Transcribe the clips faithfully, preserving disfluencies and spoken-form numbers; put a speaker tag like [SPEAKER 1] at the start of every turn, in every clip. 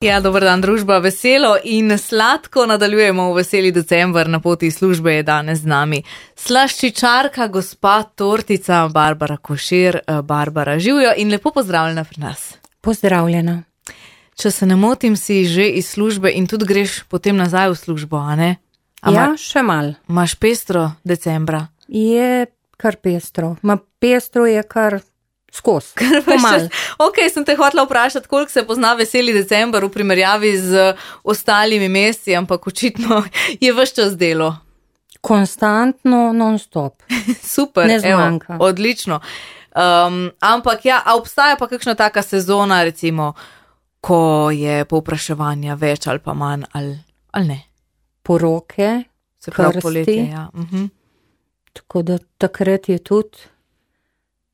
[SPEAKER 1] Ja, dober dan, družba. Veselo in sladko nadaljujemo v veseli december. Na poti službe je danes z nami slaščičarka, gospa tortica Barbara Košir. Barbara, živijo in lepo pozdravljena pri nas.
[SPEAKER 2] Pozdravljena.
[SPEAKER 1] Če se ne motim, si že iz službe in tudi greš potem nazaj v službo, a ne? A
[SPEAKER 2] Ja,
[SPEAKER 1] ma,
[SPEAKER 2] še mal.
[SPEAKER 1] Imaš pestro decembra?
[SPEAKER 2] Je kar pestro. Ma pestro je kar skos. Pomal.
[SPEAKER 1] Ok, sem te hotela vprašati, koliko se pozna veseli december v primerjavi z ostalimi meseci, ampak očitno je ves čas delo.
[SPEAKER 2] Konstantno, non-stop.
[SPEAKER 1] Super,
[SPEAKER 2] Ne
[SPEAKER 1] evo,
[SPEAKER 2] zmanjka.
[SPEAKER 1] odlično. Um, ampak ja, a obstaja pa kakšna taka sezona, recimo, ko je povpraševanja več ali pa manj, ali, ali ne?
[SPEAKER 2] Poroke,
[SPEAKER 1] Se pravi
[SPEAKER 2] Krsti.
[SPEAKER 1] poletje, ja. Uh-huh.
[SPEAKER 2] tako da takrat je tudi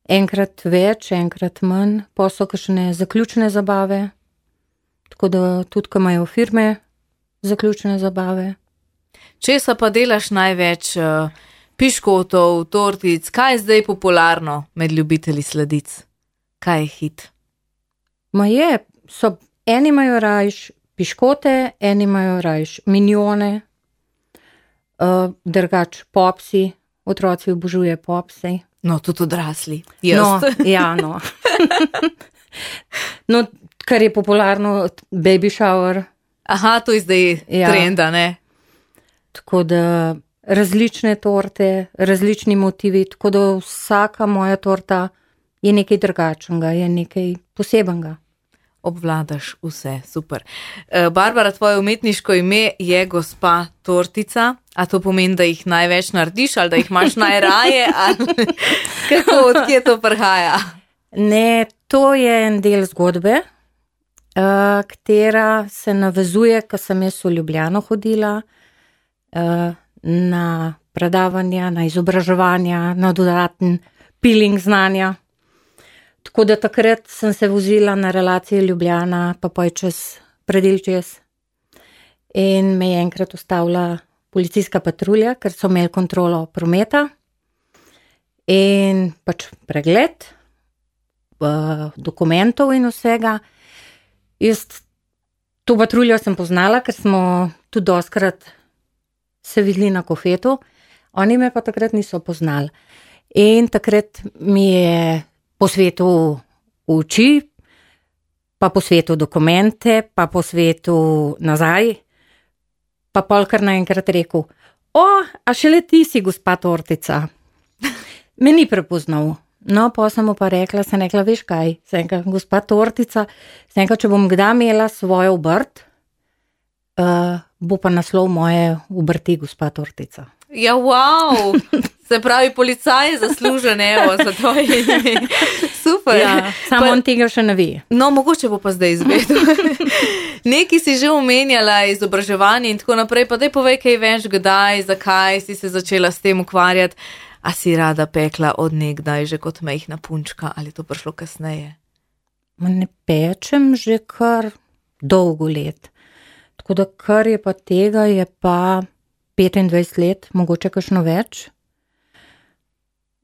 [SPEAKER 2] enkrat več, enkrat manj, pa so kakšne zaključne zabave, tako da tudi, ko imajo firme zaključne zabave.
[SPEAKER 1] Česa pa delaš največ? Uh, piškotov, tortic, kaj je zdaj popularno med ljubitelji sladic? Kaj je hit?
[SPEAKER 2] Ma je, so, eni imajo rajš piškote, eni imajo rajš minjone, uh, drugač popsi, otroci obožuje popsi.
[SPEAKER 1] No, tudi odrasli. Jaz.
[SPEAKER 2] No, ja, no. No, kar je popularno, baby shower,
[SPEAKER 1] Aha, to je zdaj
[SPEAKER 2] Ja.
[SPEAKER 1] trenda, ne?
[SPEAKER 2] tako da različne torte, različni motivi, tako da vsaka moja torta je nekaj drugačnega, je nekaj posebenega.
[SPEAKER 1] Obvladaš vse, super. Eh, Barbara, tvoje umetniško ime je gospa Tortica, a to pomeni, da jih največ narediš ali da jih imaš najraje ali kako, odkje to prihaja?
[SPEAKER 2] Ne, to je en del zgodbe, uh, katera se navezuje, ko sem jaz v Ljubljano hodila, uh, na predavanja, na izobraževanja, na dodaten peeling znanja. Tako da takrat sem se vozila na relaciji Ljubljana, pa poj čez predel čez. In me je enkrat ustavila policijska patrulja, ker so imeli kontrolo prometa. In pač pregled uh, dokumentov in vsega. Jaz to patruljo sem poznala, ker smo tudi doskrat se videli na kofetu, oni me pa takrat niso poznali. In takrat mi je po svetu uči, pa po svetu dokumente, pa po svetu nazaj, pa polkar naenkrat rekel, o, a šele ti si gospa Tortica. Me ni prepoznal. No, pa sem mu pa rekla, sem rekla, veš kaj, sem rekla, gospa Tortica, sem rekla, če bom kdaj imela svojo obrt, uh, bo pa naslov moje obrti gospa Tortica.
[SPEAKER 1] Ja, wow! Se pravi, policaj je zaslužen, evo, za tvoje ime. Super.
[SPEAKER 2] Ja, samo
[SPEAKER 1] Pa-
[SPEAKER 2] on tega še ne ve.
[SPEAKER 1] No, mogoče bo pa zdaj izvedel. Nekaj si že omenjala, izobraževanje in tako naprej, pa daj povej kaj več, kdaj, zakaj si se začela s tem ukvarjati. A si rada pekla od nekdaj že kot majhna punčka ali je to prišlo kasneje?
[SPEAKER 2] Ma ne pečem že kar dolgo let. Tako da kar je pa tega, je pa petindvajset let, mogoče kakšno več.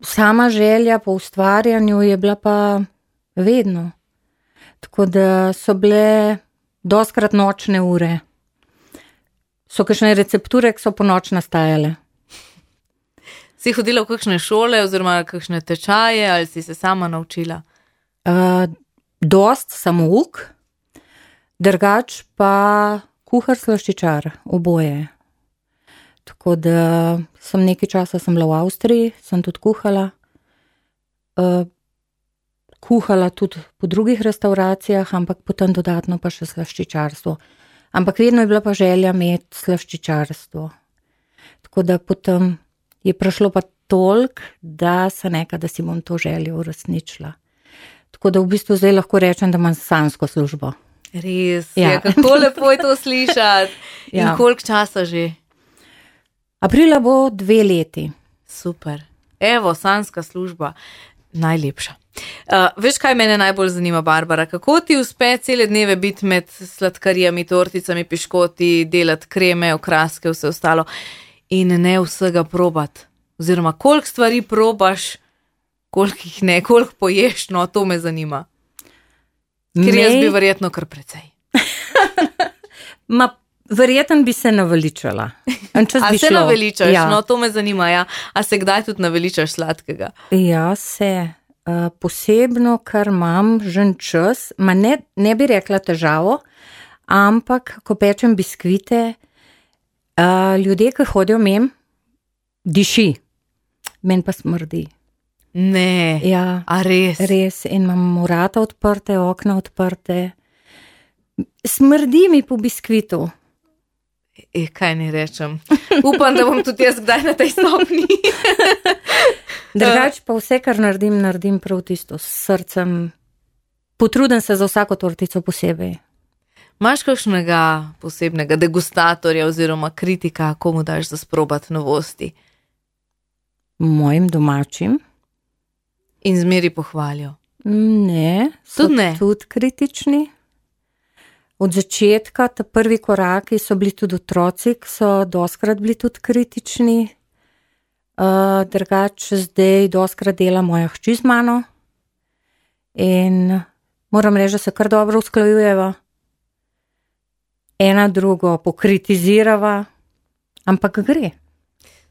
[SPEAKER 2] Sama želja po ustvarjanju je bila pa vedno. Tako da so bile doskrat nočne ure. So kakšne recepture, ki so po noč nastajale.
[SPEAKER 1] Si hodila v kakšne šole oziroma kakšne tečaje ali si se sama naučila?
[SPEAKER 2] Uh, dost samouk, drugač pa kuhar slaščičar, oboje. Tako da sem nekaj časa sem bila v Avstriji, sem tudi kuhala. Uh, kuhala tudi po drugih restauracijah, ampak potem dodatno pa še slaščičarstvo. Ampak vedno je bila pa želja imeti slaščičarstvo. Tako da potem je prišlo pa toliko, da sem rekla, da si bom to željo uresničila. Tako da v bistvu zdaj lahko rečem, da imam sanjsko službo.
[SPEAKER 1] Res,
[SPEAKER 2] Ja.
[SPEAKER 1] ja. Kako lepo je to slišati. In
[SPEAKER 2] Ja.
[SPEAKER 1] koliko časa že?
[SPEAKER 2] Aprila bo dve leti.
[SPEAKER 1] Super. Evo, sanjska služba. Najlepša. Uh, veš, kaj mene najbolj zanima, Barbara? Kako ti uspe cele dneve biti med sladkarijami, torticami, piškoti, delati kreme, okraske, vse ostalo in ne vsega probat? Oziroma, koliko stvari probaš, koliko jih ne, koliko poješ, no, to me zanima. Ker jaz bi verjetno kar precej.
[SPEAKER 2] Ma, verjeten bi se naveličala.
[SPEAKER 1] A se šlo. Naveličaš? Ja. No, to me zanima, ja. A se kdaj tudi naveličaš sladkega?
[SPEAKER 2] Ja, se. Uh, posebno, kar imam žen čas, ma ne, ne bi rekla težavo, ampak, ko pečem biskvite, uh, ljudje, ki hodijo mem, diši. Men pa smrdi.
[SPEAKER 1] Ne,
[SPEAKER 2] ja,
[SPEAKER 1] a res?
[SPEAKER 2] Res, in imam vrata odprte, okna odprte. Smrdi mi po biskvitu.
[SPEAKER 1] E, kaj ne rečem. Upam, da bom tudi jaz kdaj na tej stopni.
[SPEAKER 2] Drugač pa vse, kar naredim, naredim prav tisto s srcem. Potrudim se za vsako tortico posebej.
[SPEAKER 1] Imaš kakšnega posebnega degustatorja oziroma kritika, komu daš za sprobati novosti?
[SPEAKER 2] Mojim domačim.
[SPEAKER 1] In zmeri pohvalijo?
[SPEAKER 2] Ne, so
[SPEAKER 1] tudi, ne.
[SPEAKER 2] tudi kritični. Od začetka, ta prvi koraki so bili tudi otroci, ki so doskrat bili tudi kritični. Uh, drugače zdaj doskrat dela moja hči z mano. In moram reči, da se kar dobro usklajujeva. Ena drugo pokritizirava, ampak gre.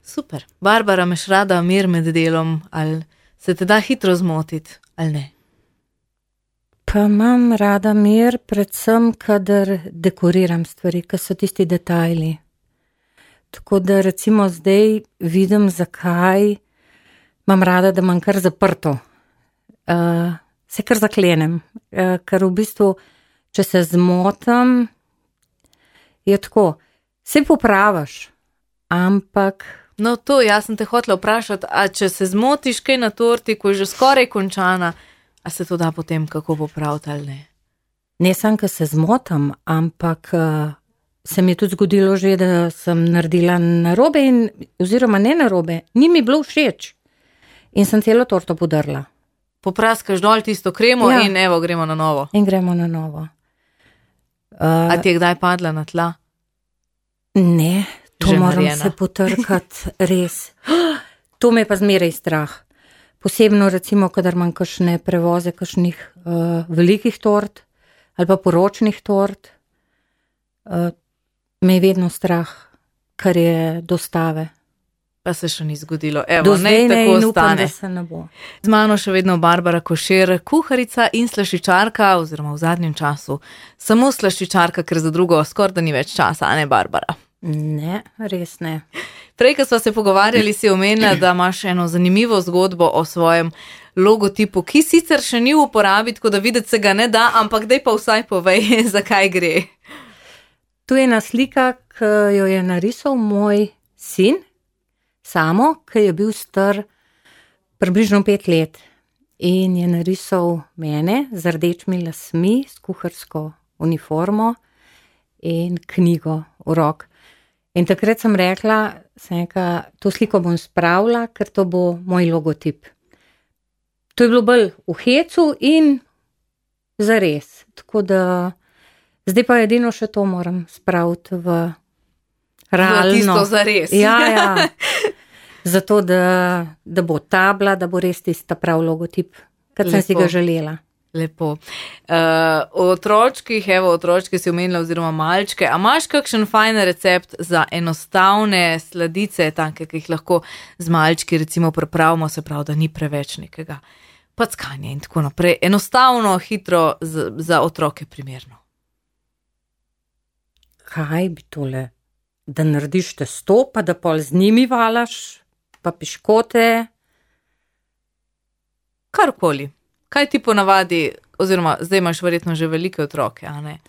[SPEAKER 1] Super. Barbara, imaš rada mir med delom, ali se te da hitro zmotiti, ali ne?
[SPEAKER 2] Pa imam rada mir, predvsem, kadar dekoriram stvari, ki so tisti detajli. Tako da recimo zdaj vidim, zakaj imam rada, da imam kar zaprto. Uh, se kar zaklenem, uh, ker v bistvu, če se zmotam, je tako, se popraviš, ampak...
[SPEAKER 1] No to, jaz sem te hotela vprašati, a če se zmotiš kaj na torti, ko je že skoraj končana, a se to da potem kako popraviti ali ne?
[SPEAKER 2] Ne sam, ko se zmotam, ampak uh, se mi je tudi zgodilo že, da sem naredila narobe in, oziroma ne narobe, ni mi bilo všeč in sem celo torto podrla.
[SPEAKER 1] Popraskaš dol tisto kremo, ja. In evo, gremo na novo.
[SPEAKER 2] In gremo na novo.
[SPEAKER 1] Uh, a ti je kdaj padla na tla?
[SPEAKER 2] Ne, to
[SPEAKER 1] že
[SPEAKER 2] moram
[SPEAKER 1] narjena.
[SPEAKER 2] Se potrkati, res. To me pa zmeraj strah. Posebno recimo, kadar imam kakšne prevoze, kakšnih uh, velikih tort ali pa poročnih tort, uh, me je vedno strah, kar je dostave.
[SPEAKER 1] Pa se še ni zgodilo. Evo,
[SPEAKER 2] do zdaj ne,
[SPEAKER 1] tako
[SPEAKER 2] in upam,
[SPEAKER 1] ostane.
[SPEAKER 2] da se ne bo.
[SPEAKER 1] Z mano še vedno Barbara Košir, kuharica in slaščičarka, oziroma v zadnjem času samo slaščičarka, ker za drugo skoraj da ni več časa, a ne Barbara?
[SPEAKER 2] Ne, res ne.
[SPEAKER 1] Prej, ko sva se pogovarjali, si omenila, da imaš eno zanimivo zgodbo o svojem logotipu, ki sicer še ni v uporabi, tako da videti se ga ne da, ampak daj pa vsaj povej, zakaj gre.
[SPEAKER 2] Tu je ena slika, ki jo je narisal moj sin, Samo, ki je bil star približno pet let in je narisal mene z rdečimi lasmi, s kuharsko uniformo in knjigo v rok. In takrat sem rekla, sem rekla, to sliko bom spravila, ker to bo moj logotip. To je bilo bolj v hecu in zares. Tako da zdaj pa edino še to moram spraviti v realno.
[SPEAKER 1] Tisto zares.
[SPEAKER 2] Ja, ja. Zato, da, da bo tabla, da bo res tista prav logotip, kar sem si ga želela.
[SPEAKER 1] Lepo. Uh, o otročkih, evo, otročke si omenila oziroma malčke, a imaš kakšen fajn recept za enostavne sladice, take, ki jih lahko z malčki recimo pripravimo, se pravi, da ni preveč nekega packanja in tako naprej. Enostavno, hitro, z, za otroke primerno.
[SPEAKER 2] Kaj bi tole? Da narediš testo, pa da pol z njimi valaš, pa piškote.
[SPEAKER 1] Karkoli. Kaj ti ponavadi, oziroma zdaj imaš verjetno že velike otroke, a ne?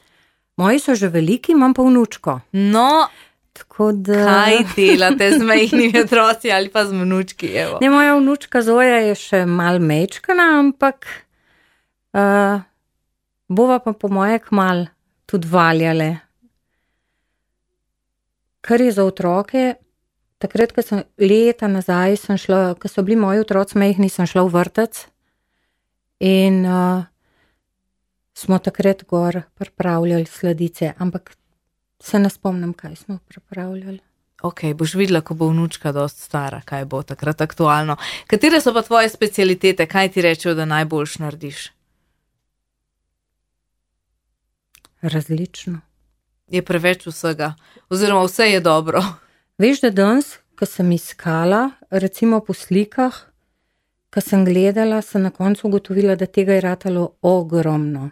[SPEAKER 2] Moji so že veliki, imam pa vnučko.
[SPEAKER 1] No,
[SPEAKER 2] tako da...
[SPEAKER 1] kaj delate z majhnimi otroci ali pa z vnučki, evo?
[SPEAKER 2] Ne, moja vnučka Zoja je še mal mečkana, ampak uh, bova pa po moje kmal tudi valjale. Kar je za otroke, takrat, ko sem leta nazaj, sem šla, ko so bili moji otroci majhni, sem šla v vrtec in uh, smo takrat gor pripravljali sladice, ampak se ne spomnim, kaj smo pripravljali.
[SPEAKER 1] Ok, boš videla, ko bo vnučka dost stara, kaj bo takrat aktualno. Katere so pa tvoje specialitete, kaj ti rečejo, da najboljš narediš?
[SPEAKER 2] Različno.
[SPEAKER 1] je preveč vsega, oziroma vse je dobro.
[SPEAKER 2] Veš, da danes, ko sem iskala, recimo po slikah, ko sem gledala, sem na koncu ugotovila, da tega je ratalo ogromno.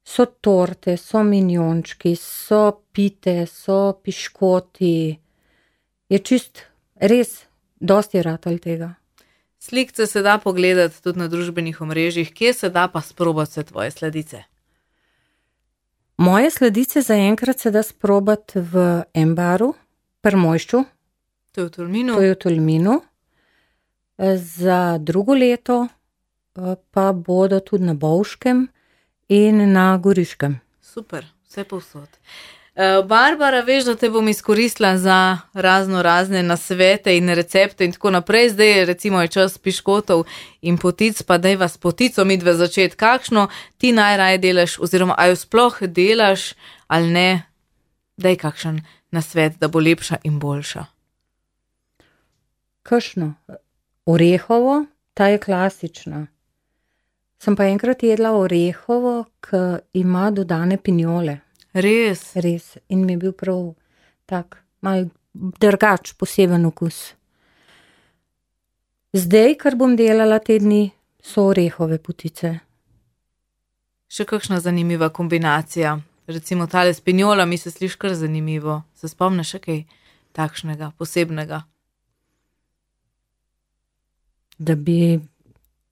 [SPEAKER 2] So torte, so minjončki, so pite, so piškoti. Je čist res, dosti je ratal tega.
[SPEAKER 1] Slikce se da pogledati tudi na družbenih omrežjih, kje se da pa sprobati se tvoje sladice?
[SPEAKER 2] Moje sladice zaenkrat se da sprobati v Embaru, pri Mojšču.
[SPEAKER 1] To je v Tolminu.
[SPEAKER 2] To je v Tolminu. Za drugo leto pa bodo tudi na Bovškem in na Goriškem.
[SPEAKER 1] Super, vse povsod. Barbara, veš, da te bom izkoristila za razno razne nasvete in recepte in tako naprej. Zdaj recimo je čas piškotov in potic, pa daj vas potico midve začeti. Kakšno ti najraje delaš oziroma a jo sploh delaš ali ne? Daj kakšen nasvet, da bo lepša in boljša.
[SPEAKER 2] Kakšno? Orehovo, ta je klasična. Sem pa enkrat jedla orehovo, ki ima dodane pinjole.
[SPEAKER 1] Res?
[SPEAKER 2] Res. In mi je bil prav tak, mal drugač, poseben okus. Zdaj, kar bom delala te dni, so orehove potice.
[SPEAKER 1] Še kakšna zanimiva kombinacija? Recimo tale s pinjolami se sliši kar zanimivo. Se spomniš še kaj takšnega, posebnega?
[SPEAKER 2] Da bi,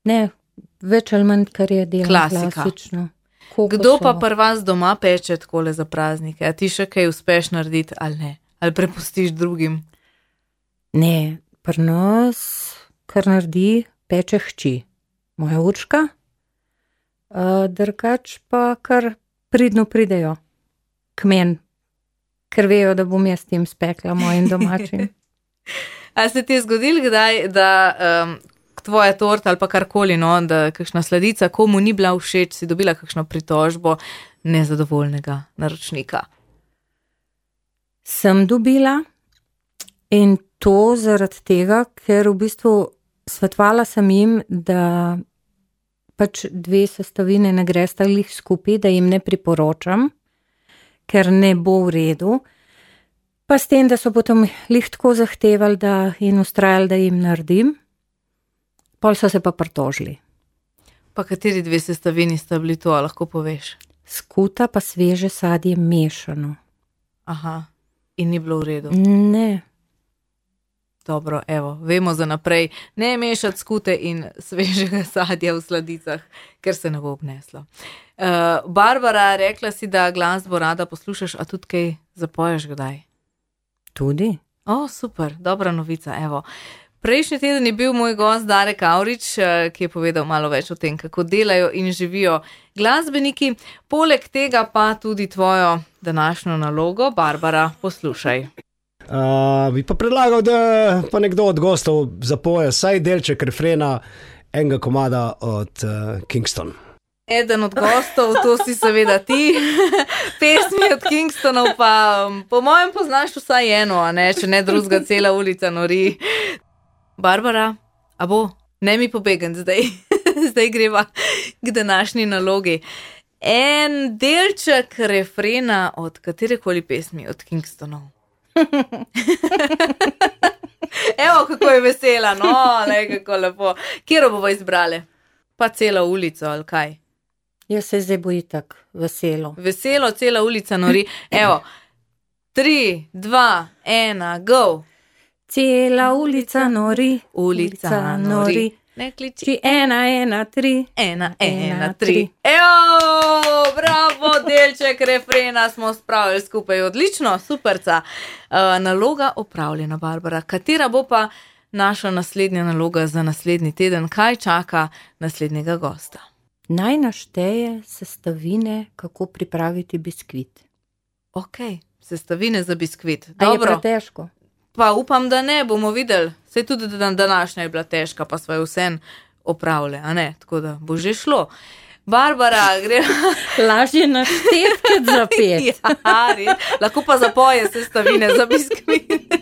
[SPEAKER 2] ne, več ali manj, kar je delala
[SPEAKER 1] Klasika.
[SPEAKER 2] Klasično.
[SPEAKER 1] Kdo pa pri vas doma peče takole za praznike? A ti še kaj uspeš narediti ali ne? Ali prepustiš drugim?
[SPEAKER 2] Ne, pri nas, kar naredi, peče hči. Moja Urška, uh, drugač pa kar pridno pridejo k meni, ker vejo, da bom jaz tem spekla mojim domačim.
[SPEAKER 1] A se ti je zgodilo kdaj, da um, tvoja torta ali pa karkoli, no, da kakšna sladica komu ni bila všeč, si dobila kakšno pritožbo nezadovoljnega naročnika?
[SPEAKER 2] Sem dobila in to zaradi tega, ker v bistvu svetovala sem jim, da pač dve sestavine ne gresta glih skupaj, da jim ne priporočam, ker ne bo v redu. Pa s tem, da so potem lih tako zahtevali da in ustrajali, da jim naredim, pol so se pa pritožili.
[SPEAKER 1] Pa kateri dve sestavini sta bili to, lahko poveš?
[SPEAKER 2] Skuta pa sveže sadje mešano.
[SPEAKER 1] Aha, in ni bilo v redu?
[SPEAKER 2] Ne.
[SPEAKER 1] Dobro, evo, vemo za naprej, ne mešati skute in svežega sadja v sladicah, ker se ne bo obneslo. Uh, Barbara, rekla si, da glasbo rada poslušaš, a tudi kaj zapoješ kdaj?
[SPEAKER 2] Tudi?
[SPEAKER 1] O, super, dobra novica, evo. Prejšnji teden je bil moj gost Darek Avrič, ki je povedal malo več o tem, kako delajo in živijo glasbeniki. Poleg tega pa tudi tvojo današnjo nalogo. Barbara, poslušaj.
[SPEAKER 3] Uh, bi pa predlagal, da pa nekdo od gostov zapoje saj delček refrena enega komada od uh, Kingston.
[SPEAKER 1] Eden od gostov, to si seveda ti. Pesmi od Kingstonov pa po mojem poznaš vsaj eno, a ne, če ne drugega cela ulica nori. Barbara, a bo? Ne mi pobegam zdaj. Zdaj greva k današnji nalogi. En delček refrena od katerekoli pesmi od Kingstonov. Evo, kako je vesela, no, le, kako lepo. Kjero bomo izbrali? Pa celo ulico, ali kaj?
[SPEAKER 2] Jaz se zdaj boji tak veselo.
[SPEAKER 1] Veselo, cela ulica nori. Evo, tri, dva, ena, go.
[SPEAKER 2] Cela ulica nori,
[SPEAKER 1] Ulica nori. Ne kliči.
[SPEAKER 2] Či ena, ena, tri.
[SPEAKER 1] Ena, ena,
[SPEAKER 2] Ena,
[SPEAKER 1] tri.
[SPEAKER 2] tri.
[SPEAKER 1] Evo, bravo, delček refrena smo spravili skupaj. Odlično, superca. Uh, naloga opravljena, Barbara. Katera bo pa naša naslednja naloga za naslednji teden? Kaj čaka naslednjega gosta?
[SPEAKER 2] Naj našteje sestavine, kako pripraviti biskvit.
[SPEAKER 1] Ok, sestavine za biskvit.
[SPEAKER 2] A je
[SPEAKER 1] Dobro.
[SPEAKER 2] pretežko?
[SPEAKER 1] Pa upam, da ne, bomo videli. Sej tudi dan današnja je bila težka, pa sva jo vsem opravile, a ne? Tako da bo že šlo. Barbara, gre...
[SPEAKER 2] Lažje našteti kot zapeti.
[SPEAKER 1] Ja, res. Lahko pa zapoje sestavine za biskvit.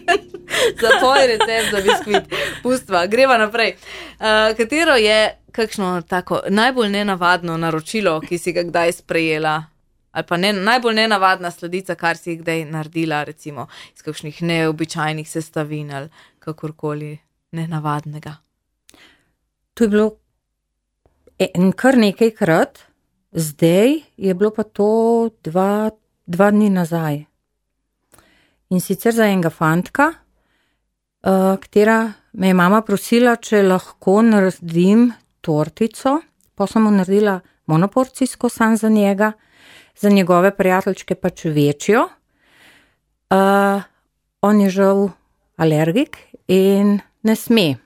[SPEAKER 1] Zapoj recept za biskvit. Pustva, greva naprej. Uh, katero je kakšno tako najbolj nenavadno naročilo, ki si ga kdaj sprejela? ali pa ne, najbolj nenavadna sladica, kar si jih kdaj naredila, recimo iz kakšnih neobičajnih sestavin ali kakorkoli nenavadnega.
[SPEAKER 2] To je bilo en, kar nekajkrat, zdaj je bilo pa to dva, dva dni nazaj. In sicer za enega fantka, uh, katera me je mama prosila, če lahko naredim tortico, pa sem mu naredila monoporcijsko sam za njega, za njegove prijateljčke pač večjo. Uh, on je žal alergik in ne sme.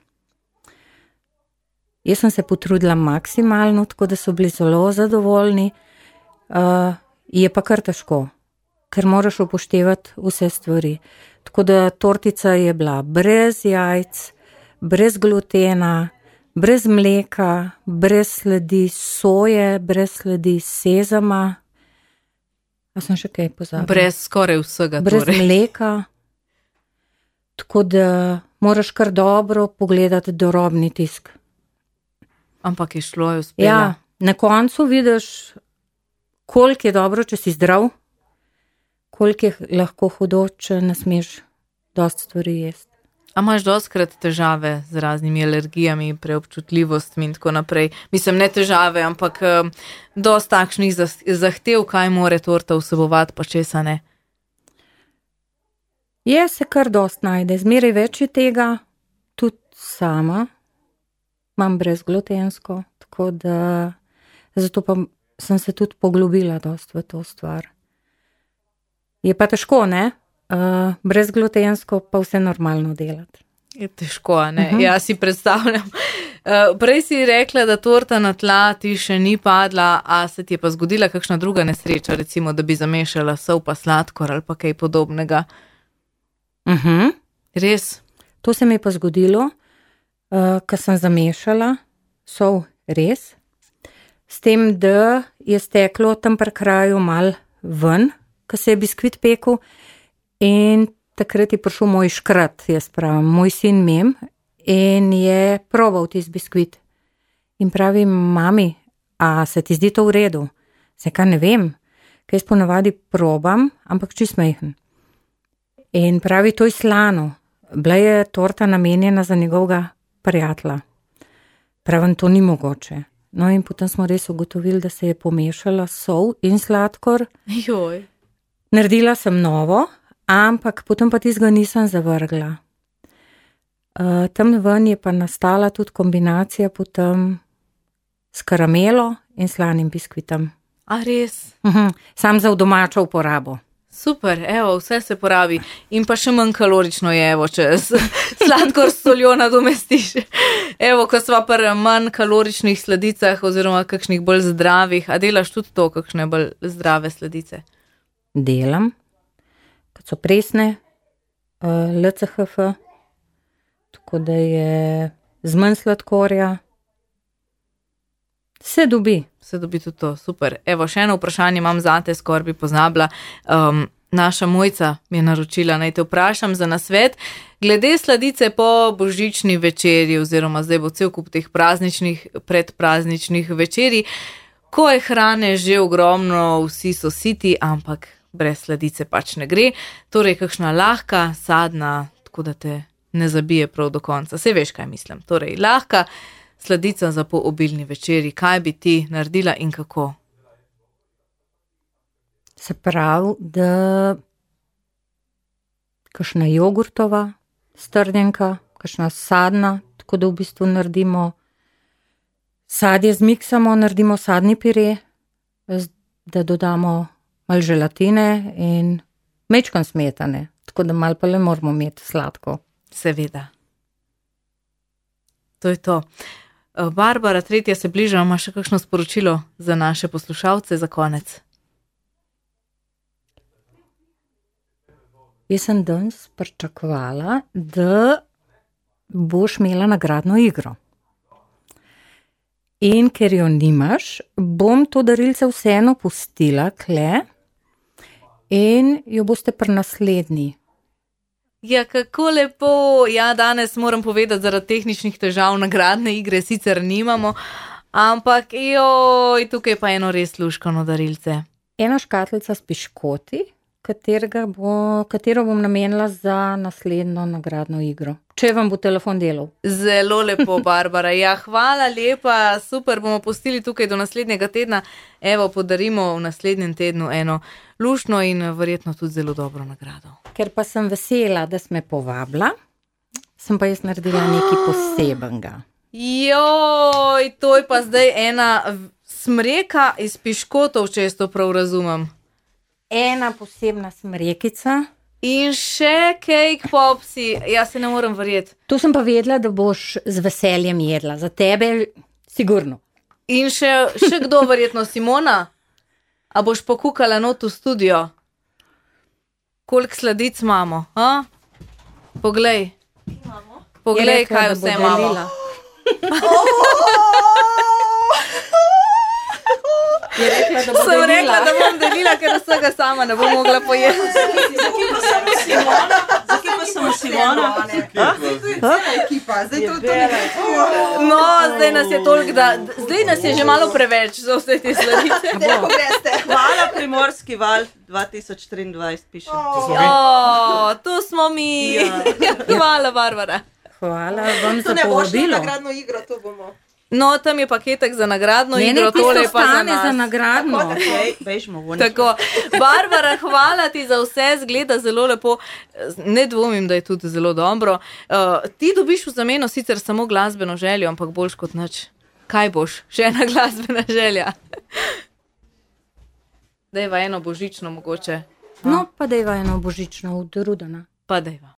[SPEAKER 2] Jaz sem se potrudila maksimalno, tako da so bili zelo zadovoljni. Uh, je pa kar težko, ker moraš upoštevati vse stvari. Tako da tortica je bila brez jajc, brez glutena, brez mleka, brez sledi soje, brez sledi sezama. A sem še kaj pozabila?
[SPEAKER 1] Brez skoraj vsega.
[SPEAKER 2] Brez
[SPEAKER 1] torej.
[SPEAKER 2] mleka. Tako da moraš kar dobro pogledati dorobni tisk.
[SPEAKER 1] Ampak je šlo, je uspela.
[SPEAKER 2] Ja, na koncu vidiš, koliko je dobro, če si zdrav, koliko je lahko hudo, če ne smeš dosti stvari jesti.
[SPEAKER 1] A imaš dostikrat težave z raznimi alergijami, preobčutljivostmi in tako naprej? Mislim, ne težave, ampak um, dosti takšnih zahtev, kaj more torta vsebovati, pa česa ne.
[SPEAKER 2] Je se kar dosti najde, zmeraj več je tega, tudi sama imam brezglutensko, tako da zato pa sem se tudi poglobila dosti v to stvar. Je pa težko, ne? Uh, brezglutensko pa vse normalno delati.
[SPEAKER 1] Je težko, ne?
[SPEAKER 2] Uh-huh.
[SPEAKER 1] Ja, si predstavljam. Uh, prej si rekla, da torta na tla ti še ni padla, a se ti je pa zgodila kakšna druga nesreča, recimo, da bi zamešala sol pa sladkor ali pa kaj podobnega?
[SPEAKER 2] Uh-huh.
[SPEAKER 1] Res?
[SPEAKER 2] To se mi je pa zgodilo, uh, ko sem zamešala sol res, s tem, da je steklo tam pri kraju mal ven, ko se je biskvit pekel. In takrat je prišel moj škrat, jaz pravim, moj sin Mem, in je probal tisti biskvit. In pravi, mami, a se ti zdi to v redu? Se kaj ne vem, kaj jaz ponavadi probam, ampak čist majhen. In pravi, to je slano, bila je torta namenjena za njegovega prijatelja. Pravim, to ni mogoče. No in potem smo res ugotovili, da se je pomešala sol in sladkor.
[SPEAKER 1] Joj.
[SPEAKER 2] Naredila sem novo, ampak potem pa tistega nisem zavrgla. Uh, tam ven je pa nastala tudi kombinacija potem s karamelo in slanim biskvitom.
[SPEAKER 1] A res?
[SPEAKER 2] Uh-huh. Sam za v domačo uporabo.
[SPEAKER 1] Super, evo, vse se porabi. In pa še manj kalorično je, evo, če sladkor s soljo nadomestiš. Evo, ko sva pri manj kaloričnih sladicah oziroma kakšnih bolj zdravih, a delaš tudi to, kakšne bolj zdrave sladice?
[SPEAKER 2] Delam, kot so presne, uh, L C H F, tako da je z manj sladkorja. Se dobi.
[SPEAKER 1] Se dobi tudi to, super. Evo, še eno vprašanje imam zate, skoraj bi poznabla. Um, naša Mojca mi je naročila, naj te vprašam za nasvet. Glede sladice po božični večeri, oziroma zdaj bo cel kup teh prazničnih, predprazničnih večeri, ko je hrane že ogromno, vsi so siti, ampak brez sladice pač ne gre. Torej, kakšna lahka, sadna, tako da te ne zabije prav do konca. Saj veš, kaj mislim. Torej, lahka sladica za po obilni večeri. Kaj bi ti naredila in kako?
[SPEAKER 2] Se pravi, da kakšna jogurtova strdenka, kakšna sadna, tako da v bistvu naredimo sadje zmiksamo, naredimo sadni pire, da dodamo malo želatine in mečkan smetane, tako da malo pa le moramo imeti sladko.
[SPEAKER 1] Seveda. To je to. Barbara, tretja se bliža, ima še kakšno sporočilo za naše poslušalce za konec?
[SPEAKER 2] Jaz sem danes pričakovala, da boš imela nagradno igro. In ker jo nimaš, bom to darilce vseeno pustila kle in jo boste pri naslednji.
[SPEAKER 1] Ja, kako lepo. Ja, danes moram povedati, zaradi tehničnih težav nagradne igre sicer nimamo, ampak joj, tukaj pa eno res luškano darilce.
[SPEAKER 2] ena škatlica s piškoti, katerega bo, katero bom namenila za naslednjo nagradno igro. Če vam bo telefon delal.
[SPEAKER 1] Zelo lepo, Barbara. Ja, hvala lepa, super, bomo pustili tukaj do naslednjega tedna. Evo, podarimo v naslednjem tednu eno luštno in verjetno tudi zelo dobro nagrado.
[SPEAKER 2] Ker pa sem vesela, da si me povabila, sem pa jaz naredila nekaj posebenega.
[SPEAKER 1] Joj, to je pa zdaj ena smreka iz piškotov, če jaz to prav razumem.
[SPEAKER 2] Ena posebna smrekica.
[SPEAKER 1] In še cake popsi, jaz se ne morem verjeti.
[SPEAKER 2] To sem pa vedela, da boš z veseljem jedla. Za tebe sigurno.
[SPEAKER 1] In še, še kdo verjetno, Simona? A boš pokukala not v studio? Koliko sladic imamo? A? Poglej. Poglej,
[SPEAKER 2] rekla,
[SPEAKER 1] kaj vse imamo.
[SPEAKER 2] Je rekla, da bo
[SPEAKER 1] Sem
[SPEAKER 2] delila.
[SPEAKER 1] rekla, da bom delila, ker vsega sama ne bom mogla pojesti.
[SPEAKER 4] Zakaj pa samo Simona? Zakaj pa samo Simona?
[SPEAKER 5] Ekipa, zdaj to to ne.
[SPEAKER 1] No, zdaj nas je toliko, da zdaj nas je že malo preveč za vse te sladice.
[SPEAKER 5] Kako greste?
[SPEAKER 4] Hvala Primorski val dva tisoč triindvajset piše.
[SPEAKER 1] O, tu smo mi. Hvala, Barbara.
[SPEAKER 2] Hvala vam
[SPEAKER 5] To
[SPEAKER 2] za
[SPEAKER 5] ne boš na
[SPEAKER 2] povabilo.
[SPEAKER 5] nagradno igro, to bomo.
[SPEAKER 1] No, tam je paketek za nagradno
[SPEAKER 2] Ne,
[SPEAKER 1] igro,
[SPEAKER 2] ne,
[SPEAKER 1] tole je
[SPEAKER 2] tisto
[SPEAKER 1] pa za
[SPEAKER 2] stane za
[SPEAKER 1] nas.
[SPEAKER 2] nagradno.
[SPEAKER 4] Okej, bežimo ven.
[SPEAKER 1] Tako, Barbara, hvala ti za vse, zgleda zelo lepo, ne dvomim, da je tudi zelo dobro. Uh, ti dobiš v zameno sicer samo glasbeno željo, ampak boljš kot nič. Kaj boš? Še ena glasbena želja. Dejva eno božično mogoče.
[SPEAKER 2] No, pa dejva eno božično od Rudana.
[SPEAKER 1] Pa dejva.